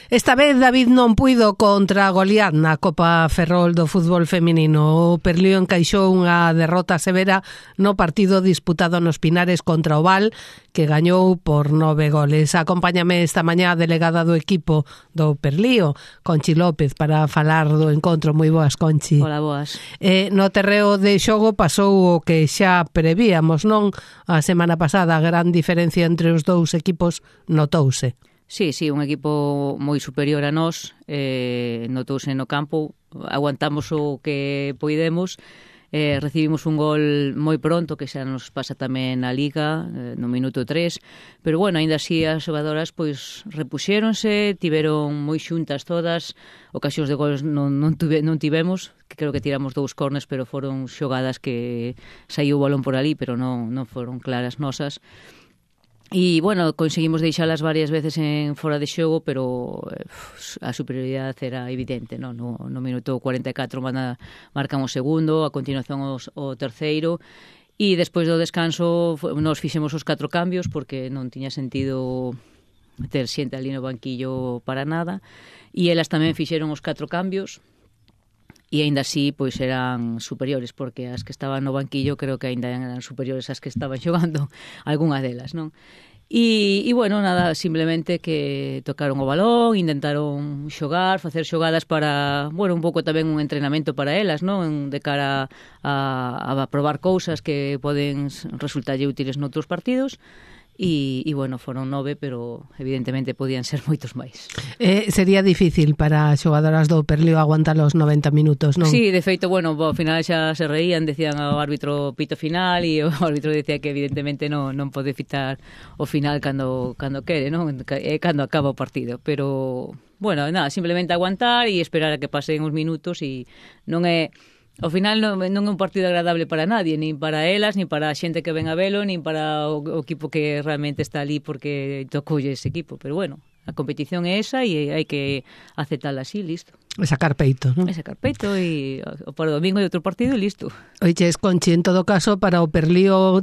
Esta vez David non puido contra Goliat na Copa Ferrol do fútbol feminino. O Perlío encaixou unha derrota severa no partido disputado nos Pinares contra o Val, que gañou por 9 goles. Acompáñame esta mañá a delegada do equipo do Perlío, Conchi López, para falar do encontro. Moi boas, Conchi. Hola, boas. No terreo de xogo pasou o que xa prevíamos, non? A semana pasada a gran diferencia entre os dous equipos notouse. Sí, un equipo moi superior a nós, notouse no campo, aguantamos o que poidemos, recibimos un gol moi pronto, que xa nos pasa tamén na Liga, no minuto 3, pero bueno, aínda así as xogadoras pois repuxéronse, tiveron moi xuntas todas, ocasións de gols non tivemos, que creo que tiramos 2 corners, pero foron xogadas que saiu o balón por ali, pero non foron claras nosas. E, bueno, conseguimos deixalas varias veces en fora de xogo, pero a superioridade era evidente, no minuto 44 marcan o segundo, a continuación o terceiro, e despois do descanso nos fixemos os 4 cambios, porque non tiña sentido ter xente ali no banquillo para nada, e elas tamén fixeron os 4 cambios, e aínda así pois eran superiores, porque as que estaban no banquillo creo que aínda eran superiores ás que estaban xogando, algunha delas, non? E bueno, nada, simplemente que tocaron o balón, intentaron xogar, facer xogadas para, bueno, un pouco tamén un entrenamento para elas, non? De cara a probar cousas que poden resultarlle útiles noutros partidos. E bueno, foron 9, pero evidentemente podían ser moitos máis. Sería difícil para as xogadoras do Perlío aguantar os 90 minutos, non? Sí, de feito, bueno, ao final xa se reían, decían ao árbitro pito final, e o árbitro decía que evidentemente non pode fitar o final cando quere, non? Cando acaba o partido, pero bueno, nada, simplemente aguantar e esperar a que pasen os minutos, e non é... Ao final non é un partido agradable para nadie, nin para elas, nin para a xente que ven a velo, nin para o equipo que realmente está ali porque tocoulle ese equipo. Pero bueno, a competición é esa e hai que aceptala así, listo. E sacar peito, non? E sacar peito e para o domingo hai outro partido e listo. Oiches, Conchi, en todo caso, para o Perlío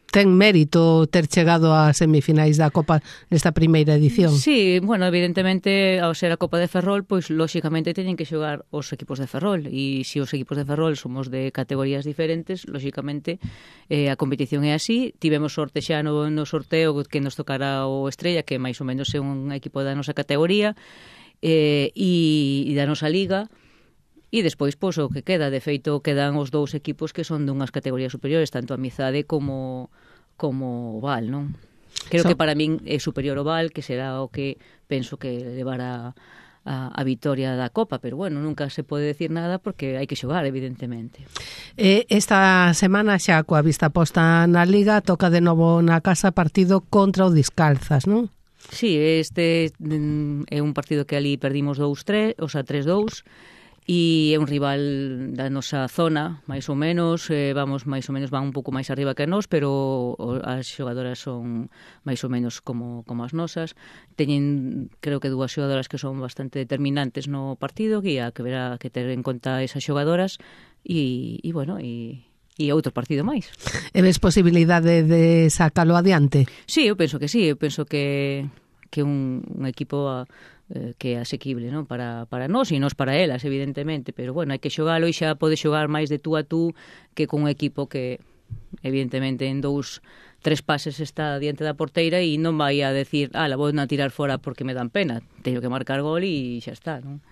ten mérito ter chegado a semifinais da Copa nesta primeira edición. Sí, bueno, evidentemente, ao ser a Copa de Ferrol, pois lóxicamente teñen que xogar os equipos de Ferrol, e se os equipos de Ferrol somos de categorías diferentes, lóxicamente a competición é así. Tivemos sorte xa no sorteo que nos tocará o Estrella, que máis ou menos é un equipo da nosa categoría e da nosa liga. E despois, pois, o que queda, de feito, quedan os 2 equipos que son dunhas categorías superiores, tanto a Amizade como o Val, non? Creo que para min é superior o Val, que será o que penso que levará a vitoria da Copa, pero bueno, nunca se pode decir nada porque hai que xogar, evidentemente. Esta semana xa coa vista posta na Liga, toca de novo na casa partido contra o Discalzas, non? Sí, este é un partido que ali perdimos 2-3, o sea, 3-2, e é un rival da nosa zona, máis ou menos, van un pouco máis arriba que nós, pero as xogadoras son máis ou menos como as nosas. Teñen, creo que 2 xogadoras que son bastante determinantes no partido, que haberá que ter en conta esas xogadoras, e bueno, e outro partido máis. E ves posibilidade de sacalo adiante? Sí, eu penso que sí, eu penso que un equipo que é asequible, non? Para nós e nós para elas, evidentemente, pero bueno, hai que xogalo, e xa pode xogar máis de tú a tú que con un equipo que evidentemente en 2-3 pases está diante da porteira e non vai a decir, la vou a tirar fora porque me dan pena, teño que marcar gol e xa está, non?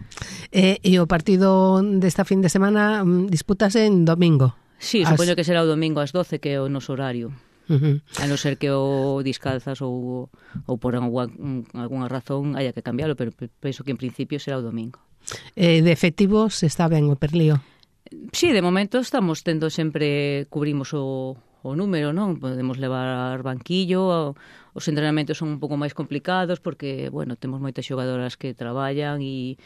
E o partido desta fin de semana dispútase en domingo? Sí, supoño que será o domingo ás 12, que é o noso horario. A non ser que o Discalzas ou por alguna razón haya que cambiarlo, pero penso que en principio será o domingo. De efectivos está ben o Perlío? Sí, de momento estamos tendo sempre, cubrimos o número, non? Podemos levar banquillo, os entrenamentos son un pouco máis complicados porque, bueno, temos moitas xogadoras que traballan e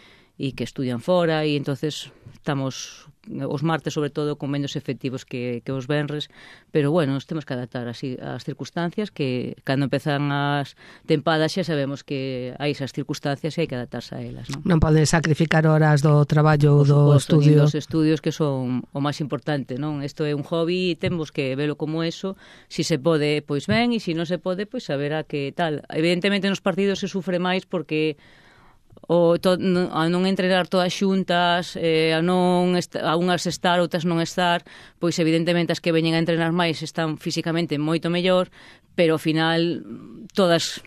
que estudian fora, e entonces estamos os martes sobre todo con menos efectivos que os venres, pero bueno, nos temos que adaptar así ás circunstancias, que cando empezan as tempadas xa sabemos que hai esas circunstancias e hai que adaptarse a elas, non? Non poden sacrificar horas do traballo, do estudio. Dos estudios, que son o máis importante, non? Isto é un hobby e temos que velo como eso. Si se pode, pois ben, e si non se pode, pois saberá que tal. Evidentemente nos partidos se sufre máis porque a non entrenar todas xuntas, a unhas estar, outras non estar, pois evidentemente as que veñen a entrenar máis están físicamente moito mellor, pero ao final todas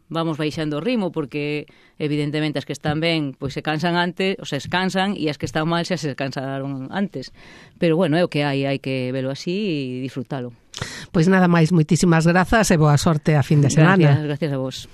vamos baixando o ritmo, porque evidentemente as que están ben pois se cansan antes, ou se cansan, e as que están mal xa se cansaron antes. Pero bueno, é o que hai que velo así e disfrutalo. Pois nada máis, moitísimas grazas e boa sorte a fin de semana. Gracias a vos.